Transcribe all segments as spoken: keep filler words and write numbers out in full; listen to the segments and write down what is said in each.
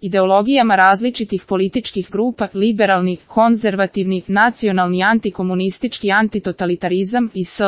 ideologijama različitih političkih grupa, liberalni, konzervativni, nacionalni, antikomunistički, antitotalitarizam i sl.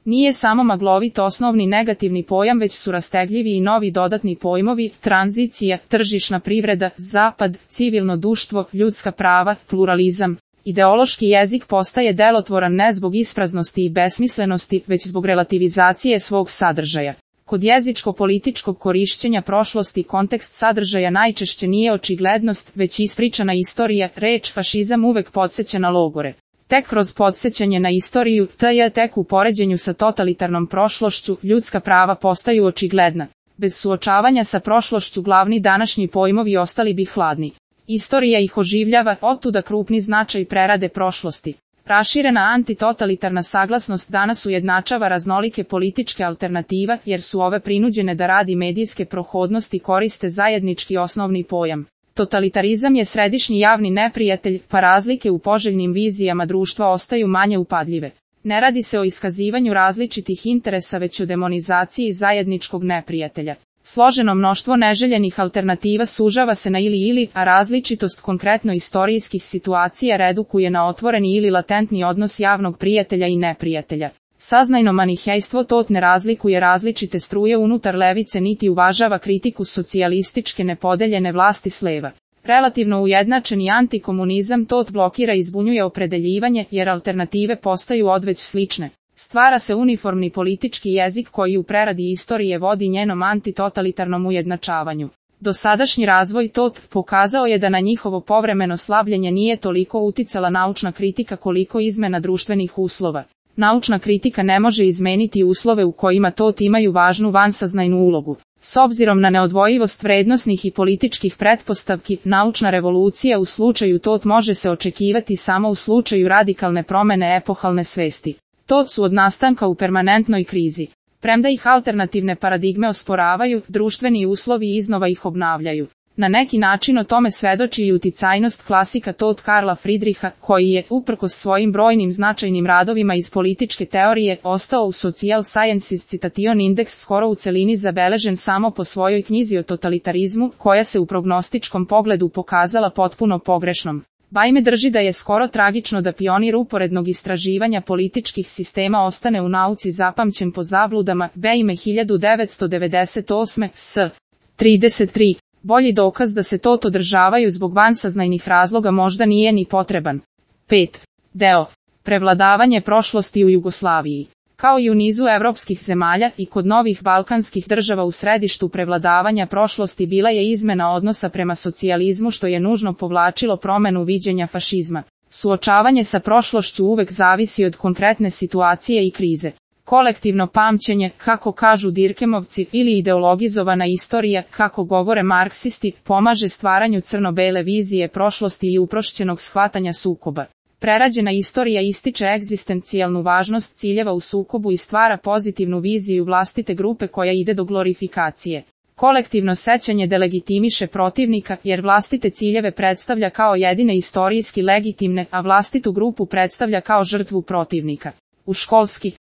Nije samo maglovit osnovni negativni pojam, već su rastegljivi i novi dodatni pojmovi: tranzicija, tržišna privreda, zapad, civilno društvo, ljudska prava, pluralizam. Ideološki jezik postaje delotvoran ne zbog ispraznosti i besmislenosti, već zbog relativizacije svog sadržaja. Kod jezičko-političkog korišćenja prošlosti kontekst sadržaja najčešće nije očiglednost, već ispričana istorija. Reč fašizam uvek podsjeća na logore. Tek kroz podsjećanje na istoriju, tj. tek u poređenju sa totalitarnom prošlošću, ljudska prava postaju očigledna. Bez suočavanja sa prošlošću glavni današnji pojmovi ostali bi hladni. Istorija ih oživljava, otuda krupni značaj prerade prošlosti. Raširena antitotalitarna saglasnost danas ujednačava raznolike političke alternativa, jer su ove prinuđene da radi medijske prohodnosti koriste zajednički osnovni pojam. Totalitarizam je središnji javni neprijatelj, pa razlike u poželjnim vizijama društva ostaju manje upadljive. Ne radi se o iskazivanju različitih interesa, već o demonizaciji zajedničkog neprijatelja. Složeno mnoštvo neželjenih alternativa sužava se na ili-ili, a različitost konkretno istorijskih situacija redukuje na otvoreni ili latentni odnos javnog prijatelja i neprijatelja. Saznajno manihejstvo tot ne razlikuje različite struje unutar levice niti uvažava kritiku socijalističke nepodeljene vlasti s leva. Relativno ujednačeni antikomunizam tot blokira i zbunjuje opredeljivanje, jer alternative postaju odveć slične. Stvara se uniformni politički jezik koji u preradi istorije vodi njenom antitotalitarnom ujednačavanju. Dosadašnji razvoj tot pokazao je da na njihovo povremeno slabljenje nije toliko uticala naučna kritika koliko izmena društvenih uslova. Naučna kritika ne može izmeniti uslove u kojima tot imaju važnu vansaznajnu ulogu. S obzirom na neodvojivost vrednosnih i političkih pretpostavki, naučna revolucija u slučaju tot može se očekivati samo u slučaju radikalne promene epohalne svesti. Tot su od nastanka u permanentnoj krizi. Premda ih alternativne paradigme osporavaju, društveni uslovi iznova ih obnavljaju. Na neki način o tome svedoči i uticajnost klasika tot Karla Friedricha, koji je, uprkos svojim brojnim značajnim radovima iz političke teorije, ostao u Social Sciences Citation Index skoro u celini zabeležen samo po svojoj knjizi o totalitarizmu, koja se u prognostičkom pogledu pokazala potpuno pogrešnom. Bajme drži da je skoro tragično da pionir uporednog istraživanja političkih sistema ostane u nauci zapamćen po zabludama. Bajme hiljadu devetsto devedeset osme. s. trideset tri. Bolji dokaz da se tot održavaju zbog vansaznajnih razloga možda nije ni potreban. pet. Deo. Prevladavanje prošlosti u Jugoslaviji. Kao i u nizu evropskih zemalja, i kod novih balkanskih država u središtu prevladavanja prošlosti bila je izmena odnosa prema socijalizmu, što je nužno povlačilo promenu viđenja fašizma. Suočavanje sa prošlošću uvek zavisi od konkretne situacije i krize. Kolektivno pamćenje, kako kažu Dirkemovci, ili ideologizovana istorija, kako govore marksisti, pomaže stvaranju crno-bele vizije prošlosti i uprošćenog shvatanja sukoba. Prerađena istorija ističe egzistencijalnu važnost ciljeva u sukobu i stvara pozitivnu viziju vlastite grupe koja ide do glorifikacije. Kolektivno sećanje delegitimiše protivnika, jer vlastite ciljeve predstavlja kao jedine istorijski legitimne, a vlastitu grupu predstavlja kao žrtvu protivnika. U školski